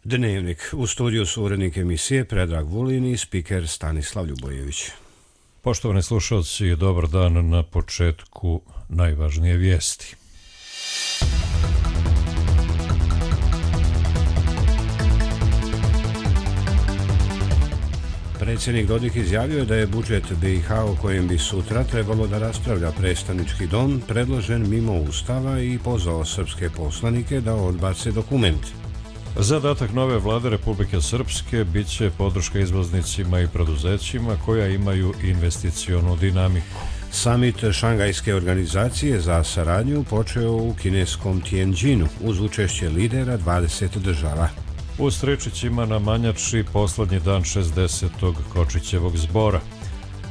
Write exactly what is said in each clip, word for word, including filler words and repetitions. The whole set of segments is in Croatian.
Dnevnik. U studiju su urednik emisije Predrag Vulin i spiker Stanislav Ljubojević. Poštovani slušalci, dobar dan. Na početku najvažnije vijesti. Predsjednik Dodik izjavio je da je budžet B i H o kojem bi sutra trebalo da raspravlja predstavnički dom predložen mimo Ustava i pozvao srpske poslanike da odbace dokument. Zadatak nove vlade Republike Srpske bit će podrška izvoznicima i preduzećima koja imaju investicionu dinamiku. Samit Šangajske organizacije za saradnju počeo u kineskom Tianjinu uz učešće lidera dvadeset država. U Stričićima na Manjači poslednji dan šezdesetog Kočićevog zbora.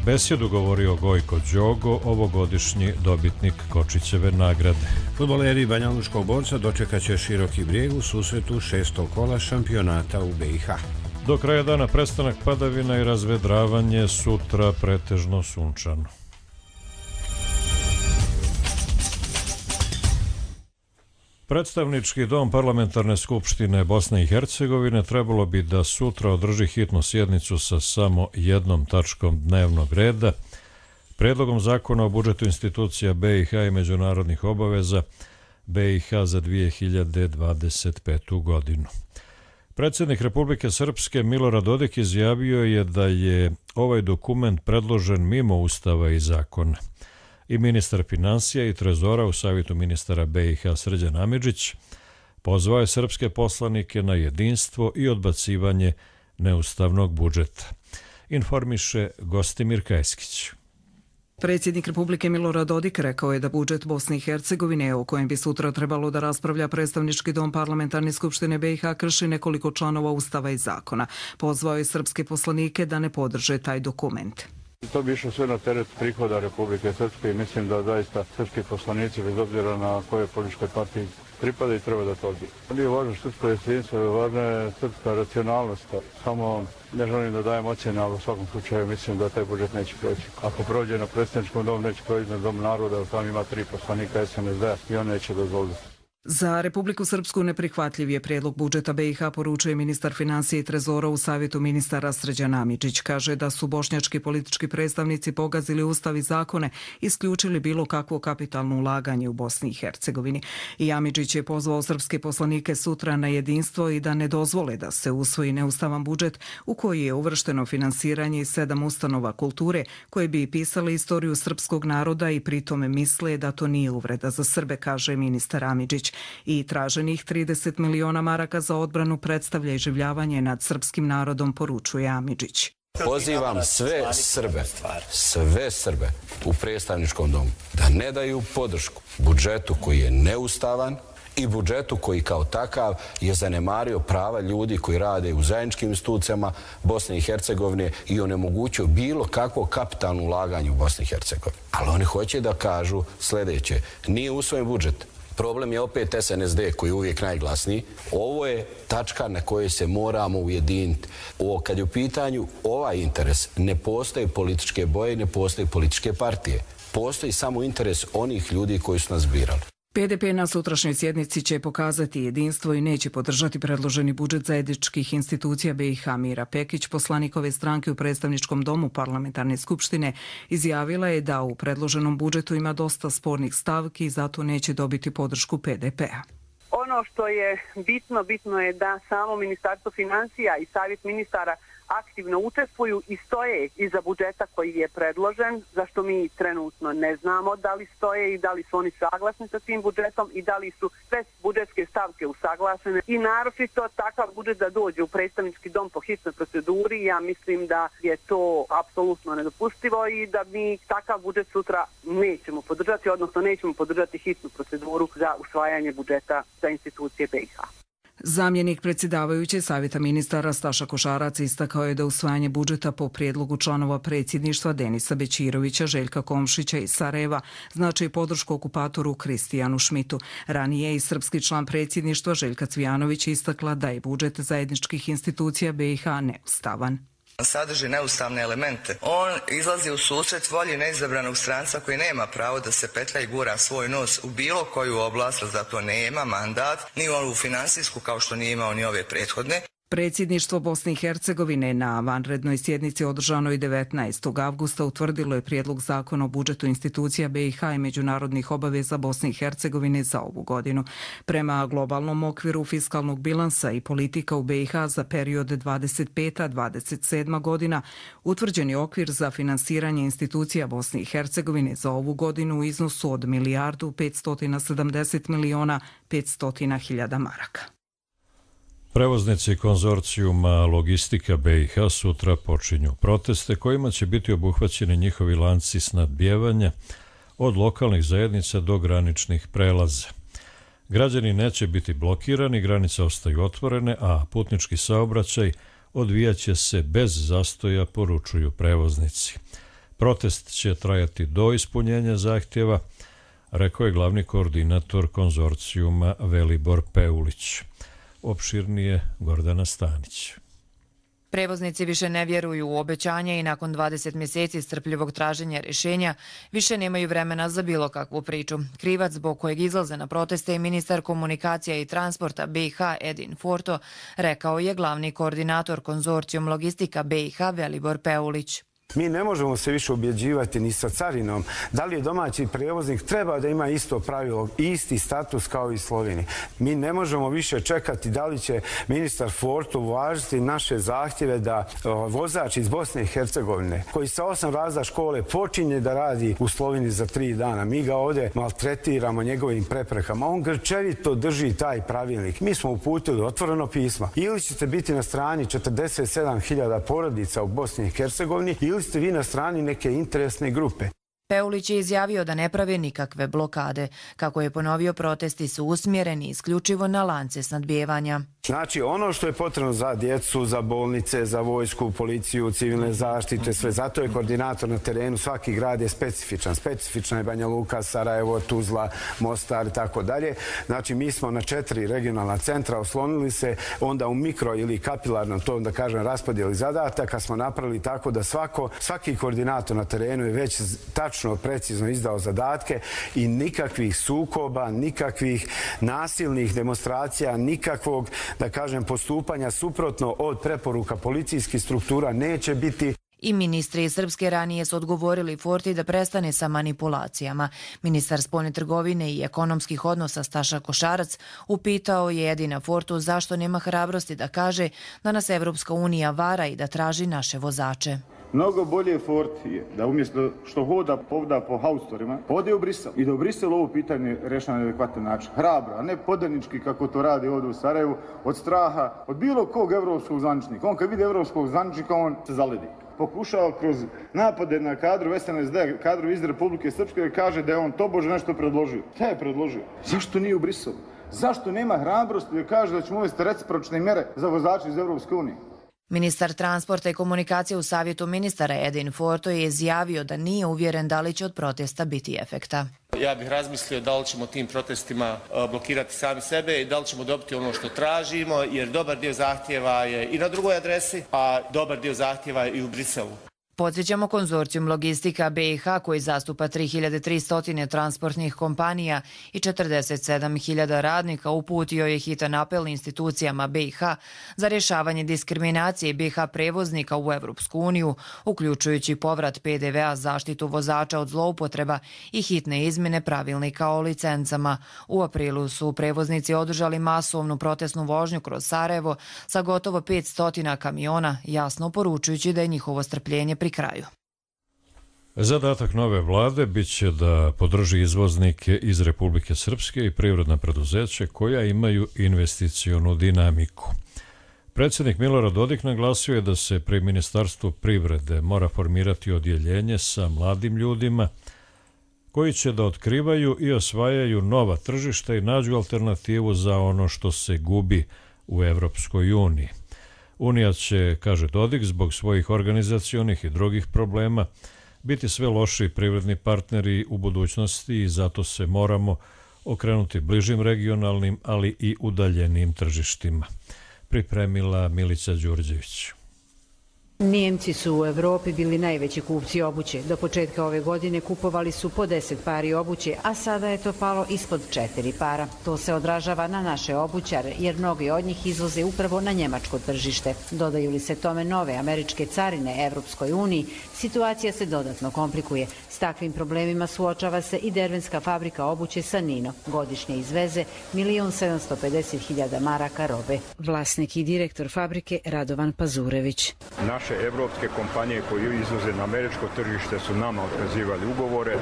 Besedu govorio Gojko Đogo, ovogodišnji dobitnik Kočićeve nagrade. Fudbaleri banjaluškog borca dočekat će Široki Brijeg u susretu šestog kola šampionata u B i H. Do kraja dana prestanak padavina i razvedravanje, sutra pretežno sunčano. Predstavnički dom Parlamentarne skupštine Bosne i Hercegovine trebalo bi da sutra održi hitnu sjednicu sa samo jednom tačkom dnevnog reda, predlogom zakona o budžetu institucija B i H i međunarodnih obaveza B i H za dvije hiljade dvadeset petu. godinu. Predsjednik Republike Srpske Milorad Dodik izjavio je da je ovaj dokument predložen mimo Ustava i zakona. I ministar finansija i trezora u savjetu ministara B i H Srđan Amidžić pozvao je srpske poslanike na jedinstvo i odbacivanje neustavnog budžeta. Informiše Gostimir Kajskić. Predsjednik Republike Milorad Dodik rekao je da budžet Bosne i Hercegovine, o kojem bi sutra trebalo da raspravlja predstavnički dom Parlamentarne skupštine B i H, krši nekoliko članova Ustava i zakona. Pozvao je srpske poslanike da ne podrže taj dokument. To bi išlo sve na teret prihoda Republike Srpske i mislim da zaista srpski poslanici, bez obzira na koje političkoj partiji pripada, i treba da to odbiju. Nije važno srpsko jedinstvo, važna je srpska racionalnost. Samo ne želim da dajem ocjene, ali u svakom slučaju mislim da taj budžet neće proći. Ako prođe na predstavničkom domu, neće proći na dom naroda, tam ima tri poslanika S N S D i on neće dozvoliti. Za Republiku Srpsku neprihvatljiv je prijedlog budžeta B i H, poručuje ministar finansija i trezora u savjetu ministara Srđan Amidžić. Kaže da su bošnjački politički predstavnici pogazili ustav i zakone, isključili bilo kakvo kapitalno ulaganje u Bosni i Hercegovini. I Amidžić je pozvao srpske poslanike sutra na jedinstvo i da ne dozvole da se usvoji neustavan budžet u koji je uvršteno finansiranje sedam ustanova kulture koje bi pisale istoriju srpskog naroda i pritome misle da to nije uvreda za Srbe, kaže ministar Amidžić. I traženih trideset miliona maraka za odbranu predstavlja iživljavanje nad srpskim narodom, poručuje Amidžić. Pozivam sve Srbe, sve Srbe u predstavničkom domu da ne daju podršku budžetu koji je neustavan i budžetu koji kao takav je zanemario prava ljudi koji rade u zajedničkim institucijama Bosne i Hercegovine i onemogućio bilo kakvo kapitalno ulaganje u Bosni i Hercegovini. Ali oni hoće da kažu sljedeće: nije usvojen budžet. Problem je opet S N S D koji je uvijek najglasniji. Ovo je tačka na kojoj se moramo ujediniti. O, kad je u pitanju ovaj interes, ne postoje političke boje, ne postoje političke partije. Postoji samo interes onih ljudi koji su nas birali. P D P na sutrašnjoj sjednici će pokazati jedinstvo i neće podržati predloženi budžet zajedničkih institucija B i H. Mira Pekić, poslanik ove stranke u predstavničkom domu Parlamentarne skupštine, izjavila je da u predloženom budžetu ima dosta spornih stavki i zato neće dobiti podršku P D P-a. Ono što je bitno, bitno je da samo Ministarstvo finansija i Savjet ministara aktivno učestvuju i stoje iza budžeta koji je predložen, zašto mi trenutno ne znamo da li stoje i da li su oni saglasni sa tim budžetom i da li su sve budžetske stavke usaglašene. I naročito takav budžet da dođe u predstavnički dom po hitnoj proceduri, ja mislim da je to apsolutno nedopustivo i da mi takav budžet sutra nećemo podržati, odnosno nećemo podržati hitnu proceduru za usvajanje budžeta za institucije B i H. Zamjenik predsjedavajuće Savjeta ministara Staša Košarac istakao je da usvajanje budžeta po prijedlogu članova predsjedništva Denisa Bećirovića, Željka Komšića i Sarajeva znači podršku okupatoru Kristijanu Šmitu. Ranije i srpski član predsjedništva Željka Cvijanović istakla da je budžet zajedničkih institucija B i H neustavan. Sadrži neustavne elemente. On izlazi u susret volji neizabranog stranca koji nema pravo da se petlja i gura svoj nos u bilo koju oblast, za to nema mandat, ni ovu finansijsku kao što nije imao ni ove prethodne. Predsjedništvo Bosne i Hercegovine na vanrednoj sjednici održanoj devetnaestog avgusta utvrdilo je prijedlog zakona o budžetu institucija B i H i međunarodnih obaveza Bosne i Hercegovine za ovu godinu. Prema globalnom okviru fiskalnog bilansa i politika u B i H za period dvadeset peta do dvadeset sedma godina, utvrđen je okvir za finansiranje institucija Bosne i Hercegovine za ovu godinu u iznosu od milijardu petsto sedamdeset miliona petsto hiljada maraka. Prevoznici konzorcijuma Logistika B i H sutra počinju proteste kojima će biti obuhvaćeni njihovi lanci snabdijevanja od lokalnih zajednica do graničnih prelaza. Građani neće biti blokirani, granice ostaju otvorene, a putnički saobraćaj odvijaće se bez zastoja, poručuju prevoznici. Protest će trajati do ispunjenja zahtjeva, rekao je glavni koordinator konzorcijuma Velibor Peulić. Opširnije Gordana Stanić. Prevoznici više ne vjeruju u obećanje i nakon dvadeset mjeseci strpljivog traženja rješenja više nemaju vremena za bilo kakvu priču. Krivac zbog kojeg izlaze na proteste je ministar komunikacija i transporta B i H Edin Forto, rekao je glavni koordinator konzorcijum Logistika B i H Velibor Peulić. Mi ne možemo se više ubjeđivati ni sa carinom. Da li je domaći prevoznik treba da ima isto pravilo, isti status kao i Sloveniji. Mi ne možemo više čekati da li će ministar Forto uvažiti naše zahtjeve da vozač iz Bosne i Hercegovine, koji sa osam razreda škole počinje da radi u Sloveniji za tri dana. Mi ga ovdje maltretiramo njegovim preprekama. On grčevito drži taj pravilnik. Mi smo uputili otvoreno pisma. Ili ćete biti na strani četrdeset sedam hiljada porodica u Bosni i Hercegovini, ili ste vi na strani neke interesne grupe. Peulić je izjavio da ne prave nikakve blokade. Kako je ponovio, protesti su usmjereni isključivo na lance snadbijevanja. Znači, ono što je potrebno za djecu, za bolnice, za vojsku, policiju, civilne zaštite, sve. Zato je koordinator na terenu. Svaki grad je specifičan. Specifična je Banja Luka, Sarajevo, Tuzla, Mostar i tako dalje. Znači, mi smo na četiri regionalna centra oslonili se, onda u mikro ili kapilarnom, to da kažem, raspodijeli zadataka smo napravili tako da svako, svaki koordinator na terenu je već tačno, precizno izdao zadatke i nikakvih sukoba, nikakvih nasilnih demonstracija, nikakvog, da kažem, postupanja suprotno od preporuka policijskih struktura neće biti. I ministri iz Srpske ranije su odgovorili Forti da prestane sa manipulacijama. Ministar spoljne trgovine i ekonomskih odnosa Staša Košarac upitao je Edina Fortu zašto nema hrabrosti da kaže da nas Evropska unija vara i da traži naše vozače. Mnogo bolje Forti je da umjesto što hoda povda po haustorima, ode u Brisel i da u Briselu ovo pitanje rešava na adekvatan način. Hrabro, a ne podanički kako to radi ovdje u Sarajevu, od straha, od bilo kog evropskog zvaničnika. On kad vidi evropskog zvaničnika, on se zaledi. Pokušava kroz napade na kadru S N S D, kadru iz Republike Srpske, da kaže da je on tobože nešto predložio. Šta je predložio? Zašto nije u Briselu? Zašto nema hrabrosti da kaže da ćemo uvesti recipročne mjere za vozače iz Evropske unije? Ministar transporta i komunikacije u Savjetu ministara Edin Forto je izjavio da nije uvjeren da li će od protesta biti efekta. Ja bih razmislio da li ćemo tim protestima blokirati sami sebe i da li ćemo dobiti ono što tražimo, jer dobar dio zahtjeva je i na drugoj adresi, a dobar dio zahtjeva je i u Briselu. Podsjećamo, konzorcijum Logistika B i H koji zastupa tri hiljade tristo transportnih kompanija i četrdeset sedam hiljada radnika uputio je hitan apel institucijama B i H za rješavanje diskriminacije B i H prevoznika u Evropsku uniju, uključujući povrat P D V-a, zaštitu vozača od zloupotreba i hitne izmjene pravilnika o licencama. U aprilu su prevoznici održali masovnu protestnu vožnju kroz Sarajevo sa gotovo petsto kamiona, jasno poručujući da je njihovo strpljenje pri kraju. Zadatak nove vlade bit će da podrži izvoznike iz Republike Srpske i privredna preduzeća koja imaju investicionu dinamiku. Predsjednik Milorad Dodik naglasio je da se pri Ministarstvu privrede mora formirati odjeljenje sa mladim ljudima koji će da otkrivaju i osvajaju nova tržišta i nađu alternativu za ono što se gubi u Evropskoj uniji. Unija će, kaže Dodik, zbog svojih organizacionih i drugih problema biti sve lošiji privredni partneri u budućnosti i zato se moramo okrenuti bližim regionalnim, ali i udaljenim tržištima. Pripremila Milica Đurđević. Nijemci su u Evropi bili najveći kupci obuće. Do početka ove godine kupovali su po deset pari obuće, a sada je to palo ispod četiri para. To se odražava na naše obućare, jer mnogi od njih izvoze upravo na njemačko tržište. Dodaju li se tome nove američke carine Evropskoj uniji, situacija se dodatno komplikuje. S takvim problemima suočava se i dervenska fabrika obuće Sanino. Godišnje izveze milion sedamsto pedeset hiljada maraka robe. Vlasnik i direktor fabrike Radovan Pazurević. Naše evropske kompanije koje izvoze na američko tržište su nama otkazivali ugovore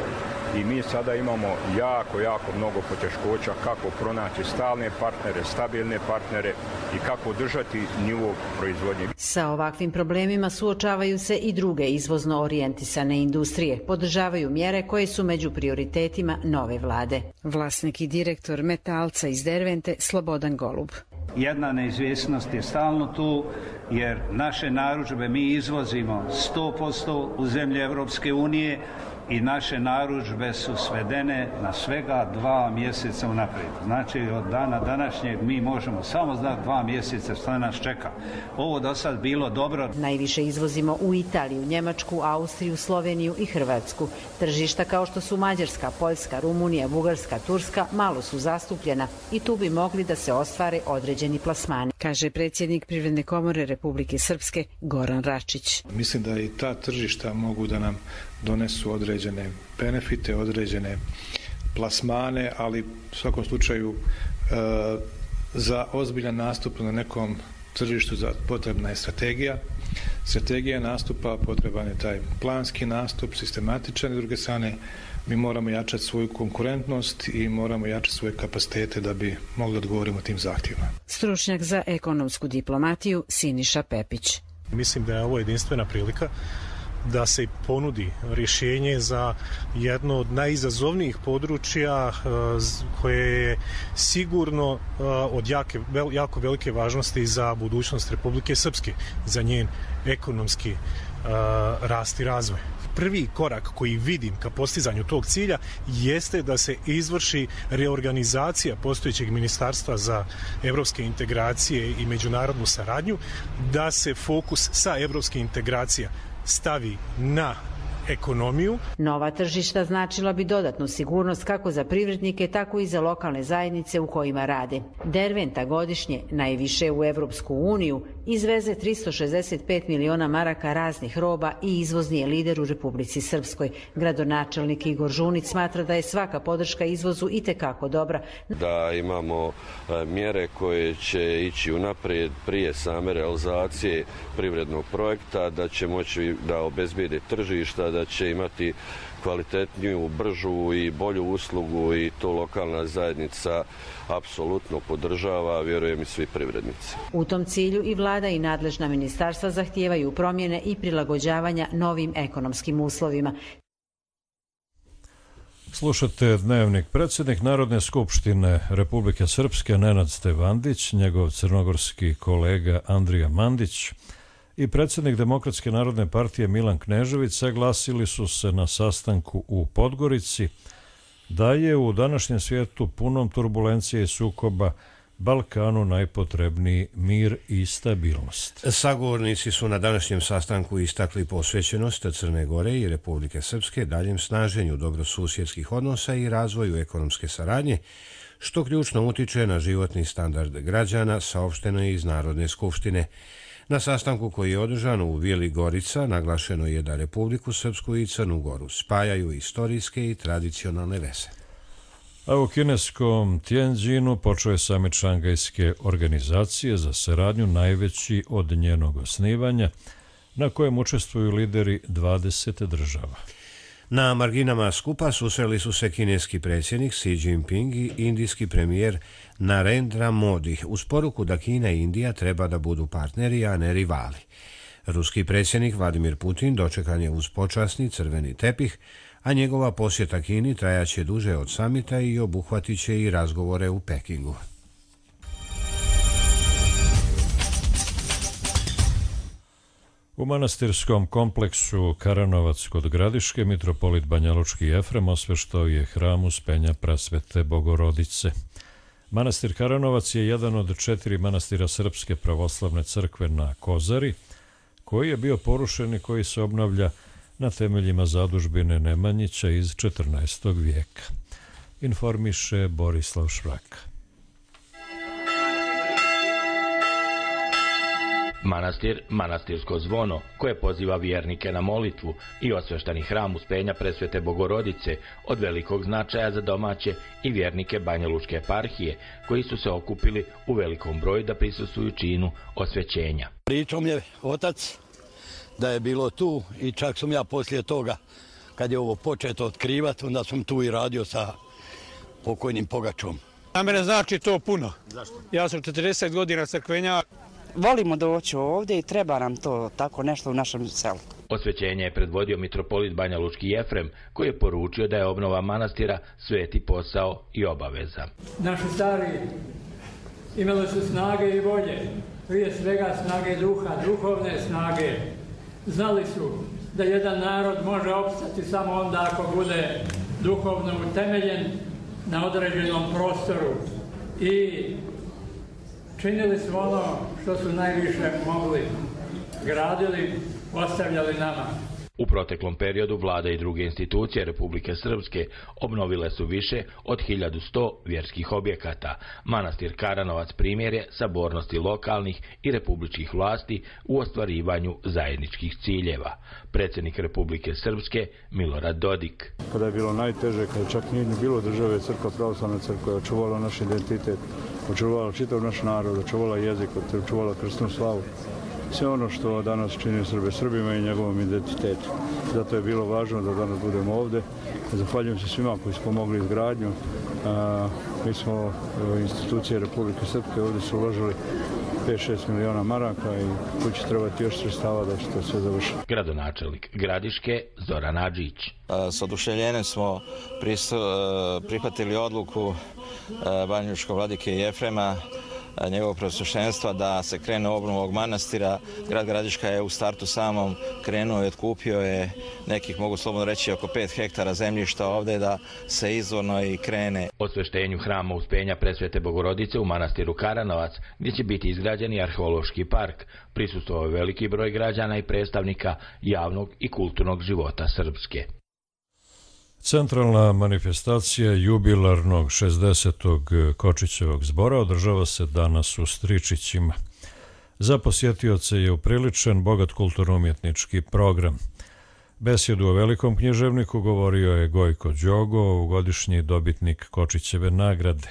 i mi sada imamo jako, jako mnogo poteškoća kako pronaći stalne partnere, stabilne partnere i kako održati nivo proizvodnje. Sa ovakvim problemima suočavaju se i druge izvozno orijentisane industrije. Podržavaju mjere koje su među prioritetima nove vlade. Vlasnik i direktor Metalca iz Dervente Slobodan Golub. Jedna neizvjesnost je stalno tu, jer naše narudžbe mi izvozimo sto posto u zemlje Evropske unije i naše narudžbe su svedene na svega dva mjeseca unaprijed. Znači, od dana današnjeg mi možemo samo znati dva mjeseca što nas čeka. Ovo do sad bilo dobro. Najviše izvozimo u Italiju, Njemačku, Austriju, Sloveniju i Hrvatsku. Tržišta kao što su Mađarska, Poljska, Rumunija, Bugarska, Turska malo su zastupljena i tu bi mogli da se ostvare određeni plasmani, kaže predsjednik Privredne komore Republike Srpske Goran Račić. Mislim da i ta tržišta mogu da nam donesu određene benefite, određene plasmane, ali u svakom slučaju e, za ozbiljan nastup na nekom tržištu potrebna je strategija. Strategija nastupa, potreban je taj planski nastup, sistematičan, i s druge strane mi moramo jačati svoju konkurentnost i moramo jačati svoje kapacitete da bi mogli odgovoriti tim zahtjevima. Stručnjak za ekonomsku diplomatiju Siniša Pepić. Mislim da je ovo jedinstvena prilika da se ponudi rješenje za jedno od najizazovnijih područja koje je sigurno od jake, jako velike važnosti za budućnost Republike Srpske, za njen ekonomski rast i razvoj. Prvi korak koji vidim ka postizanju tog cilja jeste da se izvrši reorganizacija postojećeg ministarstva za evropske integracije i međunarodnu saradnju, da se fokus sa evropskih integracija stavi na ekonomiju. Nova tržišta značila bi dodatnu sigurnost kako za privrednike, tako i za lokalne zajednice u kojima rade. Derventa godišnje, najviše u Evropsku uniju, izveze tristo šezdeset pet miliona maraka raznih roba i izvozni je lider u Republici Srpskoj. Gradonačelnik Igor Žunić smatra da je svaka podrška izvozu itekako dobra. Da imamo mjere koje će ići unaprijed prije same realizacije privrednog projekta, da će moći da obezbijede tržišta, da će imati kvalitetniju, bržu i bolju uslugu, i to lokalna zajednica apsolutno podržava, vjerujem i svi privrednici. U tom cilju i vlada i nadležna ministarstva zahtijevaju promjene i prilagođavanja novim ekonomskim uslovima. Slušate Dnevnik. Predsjednik Narodne skupštine Republike Srpske Nenad Stevandić, njegov crnogorski kolega Andrija Mandić i predsjednik Demokratske narodne partije Milan Knežević saglasili su se na sastanku u Podgorici da je u današnjem svijetu punom turbulencije i sukoba Balkanu najpotrebniji mir i stabilnost. Sagovornici su na današnjem sastanku istakli posvećenost Crne Gore i Republike Srpske daljem snaženju dobrosusjedskih odnosa i razvoju ekonomske saradnje, što ključno utiče na životni standard građana, saopšteno je iz Narodne skupštine. Na sastanku koji je održan u Vili Gorica naglašeno je da Republiku Srpsku i Crnu Goru spajaju istorijske i tradicionalne veze. A u kineskom Tianjinu počeo je samit Šangajske organizacije za saradnju, najveći od njenog osnivanja, na kojem učestvuju lideri dvadeset država. Na marginama skupa susreli su se kineski predsjednik Xi Jinping i indijski premijer Narendra Modi uz poruku da Kina i Indija treba da budu partneri, a ne rivali. Ruski predsjednik Vladimir Putin dočekan je uz počasni crveni tepih, a njegova posjeta Kini trajaće duže od samita i obuhvatit će i razgovore u Pekingu. U manastirskom kompleksu Karanovac kod Gradiške mitropolit Banjalučki Efrem osveštao je hram Uspenja Prasvete Bogorodice. Manastir Karanovac je jedan od četiri manastira Srpske pravoslavne crkve na Kozari, koji je bio porušen i koji se obnavlja na temeljima zadužbine Nemanjića iz četrnaestog vijeka. Informiše Borislav Švraka. Manastir, manastirsko zvono, koje poziva vjernike na molitvu, i osveštani hram Uspenja Presvete Bogorodice od velikog značaja za domaće i vjernike Banjalučke eparhije, koji su se okupili u velikom broju da prisustvuju činu osvećenja. Pričao mi je otac da je bilo tu i čak sam ja poslije toga, kad je ovo početo otkrivati, onda sam tu i radio sa pokojnim Pogačom. Na mene znači to puno. Zašto? Ja sam četrdeset godina crkvenjak. Volimo doći ovdje i treba nam to tako nešto u našem selu. Osvećenje je predvodio mitropolit Banjalučki Jefrem, koji je poručio da je obnova manastira sveti posao i obaveza. Naši stari imali su snage i volje, prije svega snage duha, duhovne snage. Znali su da jedan narod može opstati samo onda ako bude duhovno utemeljen na određenom prostoru i činili su ono što su najviše mogli, gradili, ostavljali nama. U proteklom periodu vlada i druge institucije Republike Srpske obnovile su više od hiljadu sto vjerskih objekata. Manastir Karanovac primjer je sabornosti lokalnih i republičkih vlasti u ostvarivanju zajedničkih ciljeva. Predsjednik Republike Srpske Milorad Dodik. Kada je bilo najteže, kada čak nije bilo države, Crkva, pravoslavna crkva je očuvala naš identitet, očuvala čitav naš narod, očuvala jezik, očuvala krstnu slavu. Sve ono što danas čini Srbe Srbima i njegovom identitetu. Zato je bilo važno da danas budemo ovdje. Zahvaljujem se svima koji su pomogli izgradnju. A, mi smo institucije Republike Srpske ovdje su uložili pet šest miliona maraka i tu će trebati još sredstava da će to sve završiti. Gradonačelnik Gradiške Zoran Adžić. S oduševljenjem smo prihvatili odluku banjalučkog vladike Jefrema, njegovog preosveštenstva, da se krene u obnovu ovog manastira. Grad Gradiška je u startu samom krenuo i otkupio je nekih, mogu slobodno reći, oko pet hektara zemljišta ovdje da se izvorno i krene. Osveštenju hrama Uspenja Presvete Bogorodice u manastiru Karanovac, gdje će biti izgrađen i arheološki park, prisustvovao je veliki broj građana i predstavnika javnog i kulturnog života Srpske. Centralna manifestacija jubilarnog šezdesetog Kočićevog zbora održava se danas u Stričićima. Za posjetioce je upriličen bogat kulturno-umjetnički program. Besjedu o velikom književniku govorio je Gojko Đogo, ovogodišnji dobitnik Kočićeve nagrade.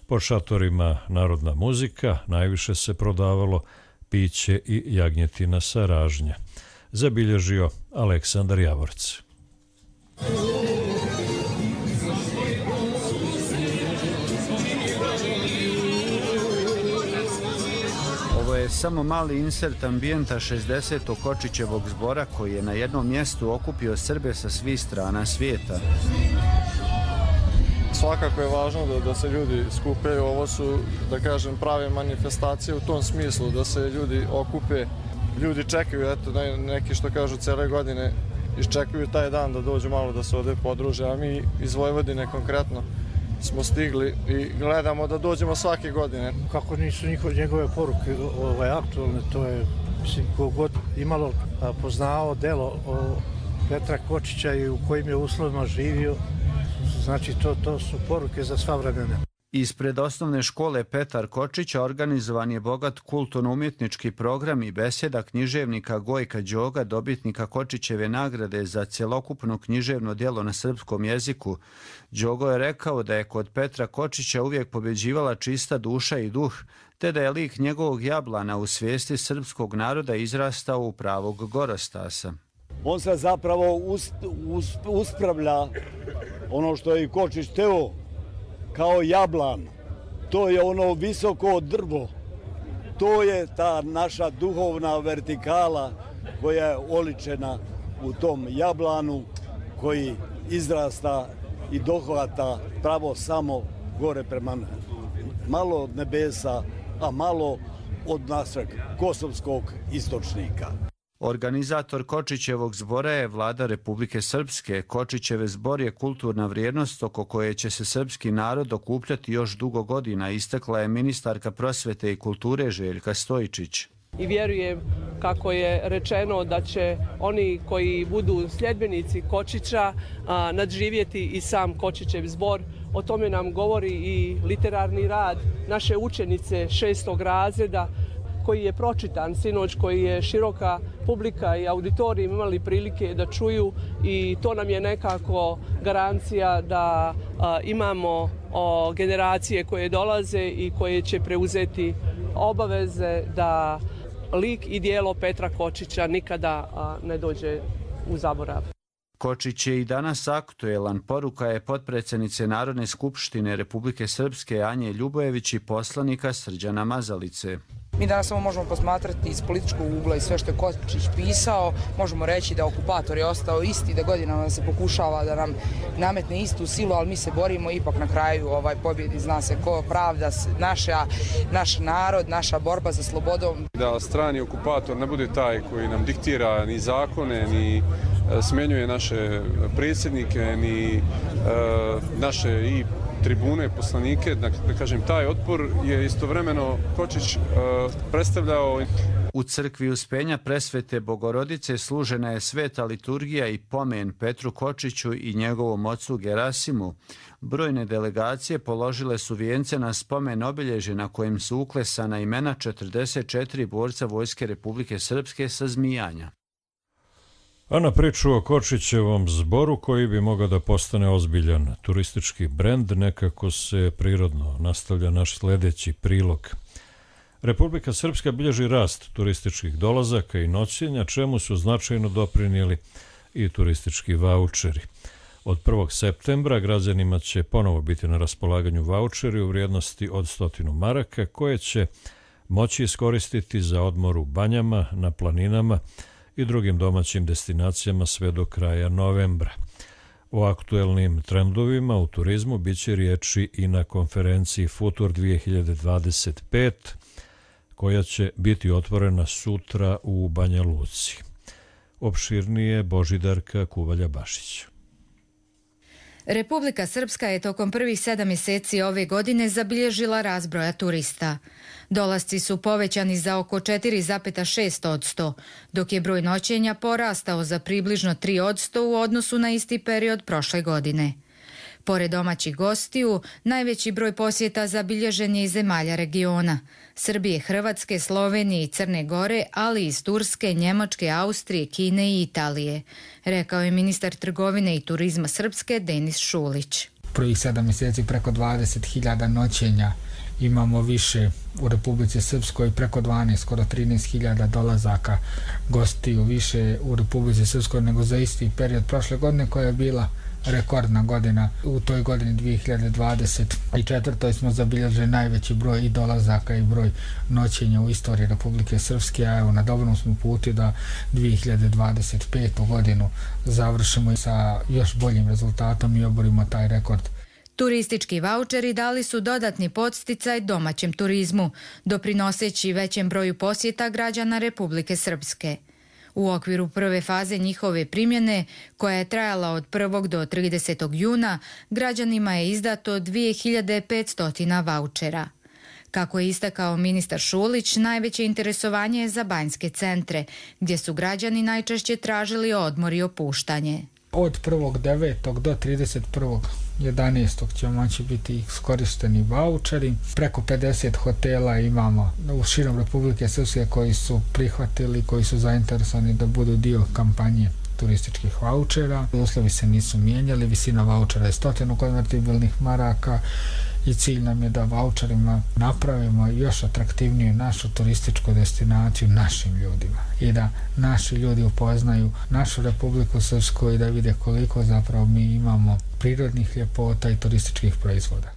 Po šatorima narodna muzika, najviše se prodavalo piće i jagnjetina sa ražnja. Zabilježio Aleksandar Javorc. Ovo je samo mali insert ambijenta šezdesetog Kočićevog zbora koji je na jednom mjestu okupio Srbe sa svih strana svijeta. Svakako je važno da, da se ljudi skupaju. Ovo su, da kažem, prave manifestacije u tom smislu, da se ljudi okupe. Ljudi čekaju, eto, neki što kažu cele godine, iščekuju taj dan da dođu malo da se ovdje podruže, a mi iz Vojvodine konkretno smo stigli i gledamo da dođemo svake godine. Kako nisu njihove, njegove poruke ovaj, aktualne, to je, mislim, kogod imalo poznao delo o Petra Kočića i u kojim je uslovima živio, znači to, to su poruke za sva vremena. Ispred osnovne škole Petar Kočića organizovan je bogat kulturno-umjetnički program i besjeda književnika Gojka Đoga, dobitnika Kočićeve nagrade za cjelokupno književno djelo na srpskom jeziku. Đogo je rekao da je kod Petra Kočića uvijek pobjeđivala čista duša i duh, te da je lik njegovog jablana u svijesti srpskog naroda izrastao u pravog gorostasa. On se zapravo ust, ust, uspravlja ono što je i Kočić teo, kao jablan. To je ono visoko drvo. To je ta naša duhovna vertikala koja je oličena u tom jablanu koji izrasta i dohvata pravo samo gore prema malo od nebesa, a malo od našeg kosovskog istočnika. Organizator Kočićevog zbora je vlada Republike Srpske. Kočićeve zbor je kulturna vrijednost oko koje će se srpski narod okupljati još dugo godina, istakla je ministarka prosvete i kulture Željka Stojičić. I vjerujem, kako je rečeno, da će oni koji budu sljedbenici Kočića a, nadživjeti i sam Kočićev zbor. O tome nam govori i literarni rad naše učenice šestog razreda koji je pročitan sinoć, koji je široka publika i auditorij imali prilike da čuju i to nam je nekako garancija da a, imamo o, generacije koje dolaze i koje će preuzeti obaveze da lik i dijelo Petra Kočića nikada a, ne dođe u zaborav. Kočić je i danas aktuelan, poruka je potpredsjednice Narodne skupštine Republike Srpske Anje Ljubojević i poslanika Srđana Mazalice. Mi danas samo možemo posmatrati iz političkog ugla i sve što je Kočić pisao. Možemo reći da okupator je ostao isti, da godinama se pokušava da nam nametne istu silu, ali mi se borimo ipak na kraju ovaj pobjedi. Zna se ko pravda, naša, naš narod, naša borba za slobodom. Da strani okupator ne bude taj koji nam diktira ni zakone, ni smjenjuje naše predsjednike, ni uh, naše i tribune, poslanike, da, da kažem, taj otpor je istovremeno Kočić uh, predstavljao. U crkvi Uspenja Presvete Bogorodice služena je sveta liturgija i pomen Petru Kočiću i njegovom ocu Gerasimu. Brojne delegacije položile su vijence na spomen obilježje na kojem su uklesana imena četrdeset četiri borca Vojske Republike Srpske sa Zmijanja. A na priču o Kočićevom zboru, koji bi mogao da postane ozbiljan turistički brend, nekako se prirodno nastavlja naš sljedeći prilog. Republika Srpska bilježi rast turističkih dolazaka i noćenja, čemu su značajno doprinijeli i turistički vaučeri. Od prvog septembra građanima će ponovo biti na raspolaganju vaučeri u vrijednosti od stotinu maraka, koje će moći iskoristiti za odmor u banjama, na planinama i drugim domaćim destinacijama sve do kraja novembra. O aktuelnim trendovima u turizmu bit će riječi i na konferenciji Futur dvije hiljade dvadeset pet, koja će biti otvorena sutra u Banja Luci. Opširnije Božidarka Kuvalja-Bašić. Republika Srpska je tokom prvih sedam mjeseci ove godine zabilježila rast broja turista. Dolasci su povećani za oko četiri zarez šest posto, dok je broj noćenja porastao za približno tri posto u odnosu na isti period prošle godine. Pored domaćih gostiju, najveći broj posjeta zabilježen je iz zemalja regiona, Srbije, Hrvatske, Slovenije i Crne Gore, ali i iz Turske, Njemačke, Austrije, Kine i Italije, rekao je ministar trgovine i turizma Srpske Denis Šulić. Prvih sedam mjeseci preko dvadeset hiljada noćenja, imamo više u Republici Srpskoj, preko dvanaest, skoro trinaest hiljada dolazaka gostiju više u Republici Srpskoj nego za isti period prošle godine, koja je bila rekordna godina. U toj godini dvije hiljade dvadeset četvrtoj smo zabilježili najveći broj i dolazaka i broj noćenja u istoriji Republike Srpske, a evo na dobrom smo puti da dvije hiljade dvadeset petu godinu završimo sa još boljim rezultatom i oborimo taj rekord. Turistički vaučeri dali su dodatni podsticaj domaćem turizmu, doprinoseći većem broju posjeta građana Republike Srpske. U okviru prve faze njihove primjene, koja je trajala od prvog do tridesetog juna, građanima je izdato dvije hiljade petsto vaučera. Kako je istakao ministar Šulić, najveće interesovanje je za banjske centre, gdje su građani najčešće tražili odmor i opuštanje. Od prvog devetog do trideset prvog jedanaestog će moći biti iskorišteni vaučeri. Preko pedeset hotela imamo u širom Republike Srpske koji su prihvatili, koji su zainteresovani da budu dio kampanje turističkih vaučera. Uslovi se nisu mijenjali, visina vaučera je stotinu konvertibilnih maraka i cilj nam je da vaučerima napravimo još atraktivniju našu turističku destinaciju našim ljudima i da naši ljudi upoznaju našu Republiku Srpsku i da vide koliko zapravo mi imamo prirodnih ljepota i turističkih proizvoda.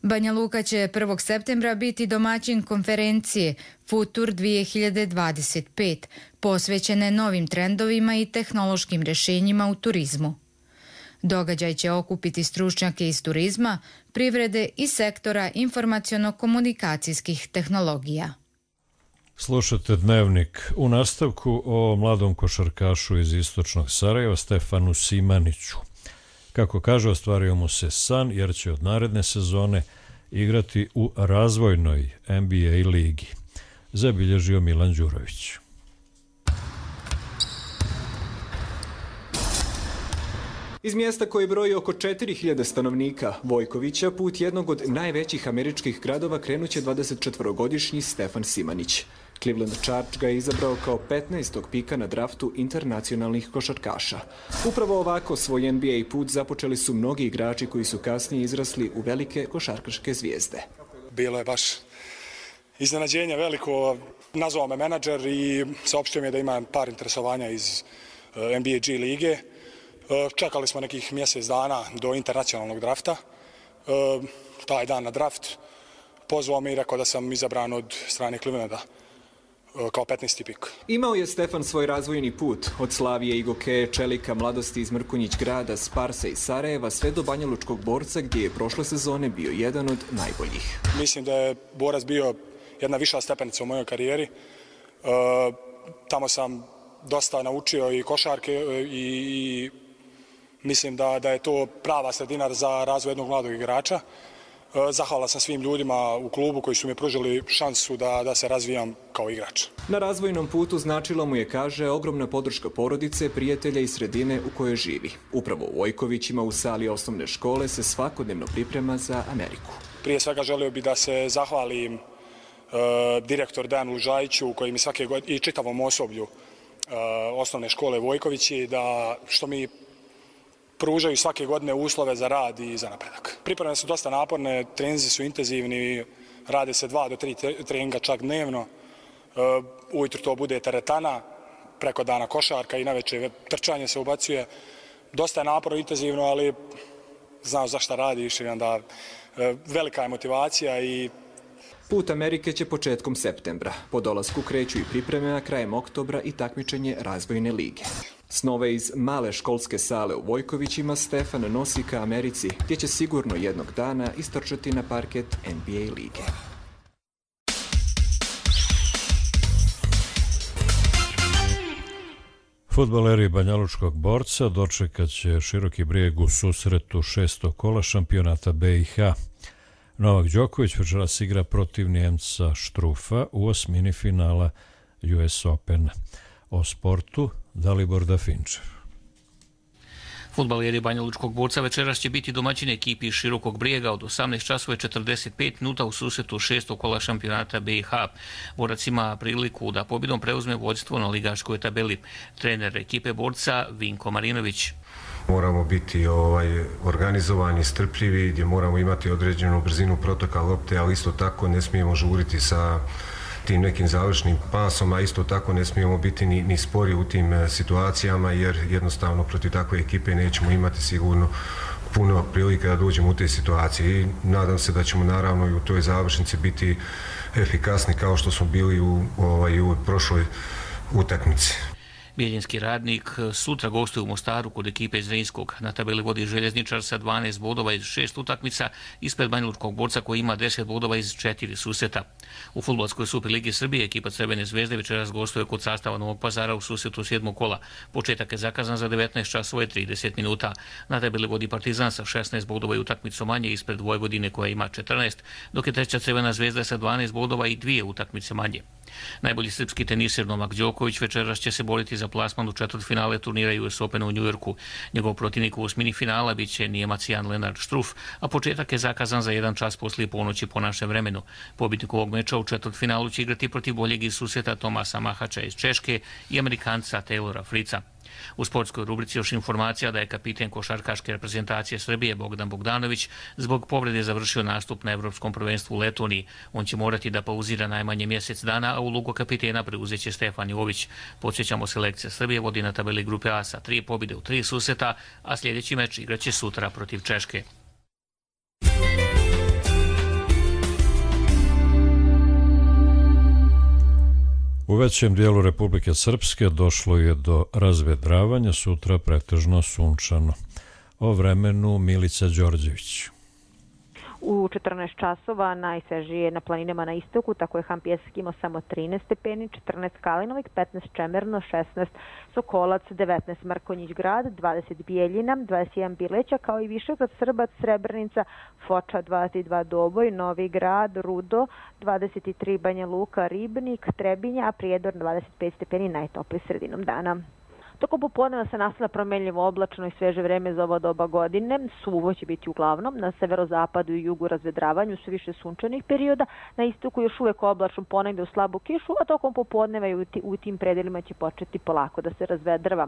Banja Luka će prvog septembra biti domaćin konferencije Futur dvije hiljade dvadeset pet, posvećene novim trendovima i tehnološkim rješenjima u turizmu. Događaj će okupiti stručnjake iz turizma, privrede i sektora informaciono-komunikacijskih tehnologija. Slušate Dnevnik. U nastavku o mladom košarkašu iz istočnog Sarajeva Stefanu Simaniću. Kako kaže, ostvario mu se san jer će od naredne sezone igrati u razvojnoj N B A ligi. zabilježio Milan Đurović. Iz mjesta koje broji oko četiri hiljade stanovnika, Vojkovića, put jednog od najvećih američkih gradova krenuće dvadesetčetvorogodišnji Stefan Simanić. Cleveland Charge ga je izabrao kao petnaestog pika na draftu internacionalnih košarkaša. Upravo ovako svoj N B A put započeli su mnogi igrači koji su kasnije izrasli u velike košarkaške zvijezde. Bilo je baš iznenađenje veliko. Nazvao me menadžer i saopštio mi je da ima par interesovanja iz N B A G lige. Čekali smo nekih mjesec dana do internacionalnog drafta. Taj dan na draft pozvao me i rekao da sam izabran od strane Clevelanda kao petnaesti pik. Imao je Stefan svoj razvojni put od Slavije i Gokeje, Čelika, Mladosti iz Mrkonjić grada, Sparsa i Sarajeva sve do Banja Lučkog Borca gdje je prošle sezone bio jedan od najboljih. Mislim da je Borac bio jedna viša stepenica u mojoj karijeri. E, tamo sam dosta naučio i košarke i, i mislim da, da je to prava sredina za razvoj jednog mladog igrača. Zahvala sam svim ljudima u klubu koji su mi pružili šansu da, da se razvijam kao igrač. Na razvojnom putu značilo mu je, kaže, ogromna podrška porodice, prijatelja i sredine u kojoj živi. Upravo u Vojkovićima u sali osnovne škole se svakodnevno priprema za Ameriku. Prije svega želio bih da se zahvalim e, direktor Dejanu Lužajiću koji mi svake godine i čitavom osoblju e, osnovne škole Vojkovići da što mi pružaju svake godine uslove za rad i za napredak. Pripreme su dosta naporne, treninzi su intenzivni, rade se dva do tri treninga čak dnevno. Ujutro to bude teretana, preko dana košarka i navečer trčanje se ubacuje. Dosta je naporno, intenzivno, ali znao za šta radiš i onda velika je motivacija i Put Amerike će početkom septembra. Po dolasku kreću i pripreme, a krajem oktobra i takmičenje razvojne lige. Snove iz male školske sale u Vojkovićima Stefan nosi ka Americi, gdje će sigurno jednog dana istrčati na parket N B A lige. Fudbaleri Banjalučkog Borca dočekat će Široki Brijeg u susretu šestog kola šampionata B i H. Novak Đoković večeras igra protiv Njemca Štrufa u osmini finala U S Opena. O sportu Dalibor Dafinčev. Fudbaleri Banjalučkog Borca večeras će biti domaćini ekipi iz Širokog Brijega od osamnaest časova i četrdeset pet minuta u susretu šestog kola šampionata B i H. Borac ima priliku da pobjedom preuzme vođstvo na ligaškoj tabeli. Trener ekipe Borca Vinko Marinović. Moramo biti ovaj, organizovani, strpljivi, gdje moramo imati određenu brzinu protoka lopte, ali isto tako ne smijemo žuriti sa tim nekim završnim pasom, a isto tako ne smijemo biti ni, ni spori u tim situacijama, jer jednostavno protiv takve ekipe nećemo imati sigurno puno prilike da dođemo u te situacije. I nadam se da ćemo naravno i u toj završnici biti efikasni kao što smo bili u, ovaj, u prošloj utakmici. Bijeljinski Radnik sutra gostuje u Mostaru kod ekipe iz Zrinskog. Na tabeli vodi Željezničar sa dvanaest bodova iz šest utakmica, ispred Banjalučkog Borca koji ima deset bodova iz četiri susreta. U fudbalskoj Superligi Srbije ekipa Crvene zvezde večeras gostuje kod sastava Novog Pazara u susretu sedmog kola. Početak je zakazan za devetnaest časova i trideset minuta. Na tabeli vodi Partizan sa šesnaest bodova i utakmicu manje ispred Vojvodine koja ima četrnaest, dok je treća Crvena zvezda sa dvanaest bodova i dvije utakmice manje. Najbolji srpski teniser Novak Đoković večeras će se boriti za plasman u četvrtfinale turnira U S Opena u Njujorku. Njegov protivnik u osmini finala bit će Nijemac Jan Lenard Štruff, a početak je zakazan za jedan čas poslije ponoći po našem vremenu. Pobjednik ovog meča u četvrtfinalu će igrati protiv boljeg iz susreta Tomasa Mahača iz Češke i Amerikanca Taylora Frica. U sportskoj rubrici još informacija da je kapiten košarkaške reprezentacije Srbije Bogdan Bogdanović zbog povrede završio nastup na Evropskom prvenstvu u Letoniji. On će morati da pauzira najmanje mjesec dana, a ulogu kapitena preuzeće Stefan Jović. Podsjećamo, selekcija Srbije vodi na tabeli grupe A sa tri pobjede u tri susreta, a sljedeći meč igraće sutra protiv Češke. U većem dijelu Republike Srpske došlo je do razvedravanja, sutra pretežno sunčano. O vremenu Milica Đorđević. U četrnaest časova najsvežije na planinama na istoku, tako je Han Pjesak imao samo trinaest stepeni, četrnaest Kalinovik, petnaest Čemerno, šesnaest Sokolac, devetnaest Mrkonjić Grad, dvadeset Bijeljina, dvadeset jedan Bileća, kao i Višegrad, Srbac, Srebrenica, Foča, dvadeset dva Doboj, Novi Grad, Rudo, dvadeset tri Banja Luka, Ribnik, Trebinja, a Prijedor dvadeset pet stepeni, najtopliji sredinom dana. Tokom popodneva se nastavlja promenljivo oblačno i sveže vreme za ovo doba godine. Suvo će biti uglavnom, na severozapadu i jugu razvedravanju su više sunčanih perioda, na istoku još uvek oblačno, ponegde u slabu kišu, a tokom popodneva i u tim predelima će početi polako da se razvedrava.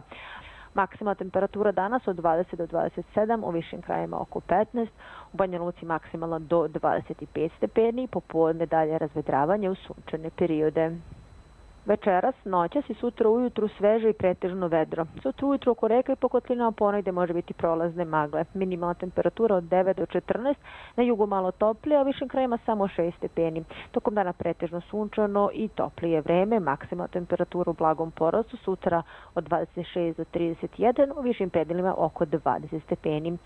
Maksimalna temperatura danas od dvadeset do dvadeset sedam, u višim krajima oko petnaest, u Banja Luci maksimalno do dvadeset pet stepeni, popodne dalje razvedravanje u sunčane periode. Večeras, noćas i sutra ujutru sveže i pretežno vedro. Sutra ujutru oko reka i po kotlinama ponegde može biti prolazne magle. Minimalna temperatura od devet do četrnaest, na jugu malo toplije, a u višim krajima samo šest stepeni. Tokom dana pretežno sunčano i toplije vreme, maksimalna temperatura u blagom porastu, sutra od dvadeset šest do trideset jedan, u višim predelima oko dvadeset stepeni.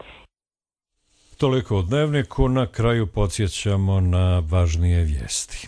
Toliko u dnevniku, na kraju podsjećamo na važnije vijesti.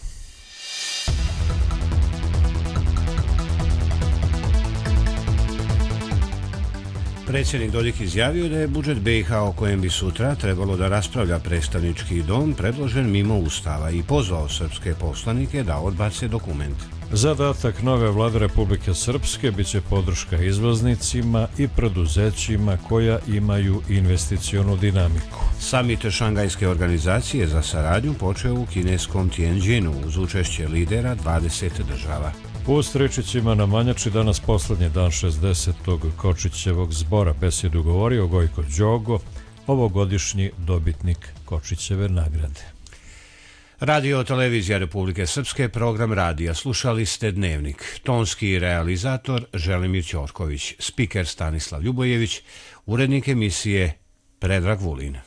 Predsjednik Dodik izjavio da je budžet B i H o kojem bi sutra trebalo da raspravlja predstavnički dom predložen mimo Ustava i pozvao srpske poslanike da odbace dokument. Zadatak nove vlade Republike Srpske biće podrška izvoznicima i preduzećima koja imaju investicionu dinamiku. Samit Šangajske organizacije za saradnju počeo u kineskom Tianjinu uz učešće lidera dvadeset država. U Stričićima na Manjači danas poslednji dan šezdesetog Kočićevog zbora. Besedu govorio Gojko Đogo, ovogodišnji dobitnik Kočićeve nagrade. Radio Televizija Republike Srpske, program radija. Slušali ste Dnevnik. Tonski realizator Želimir Ćorković, spiker Stanislav Ljubojević, urednik emisije Predrag Vulin.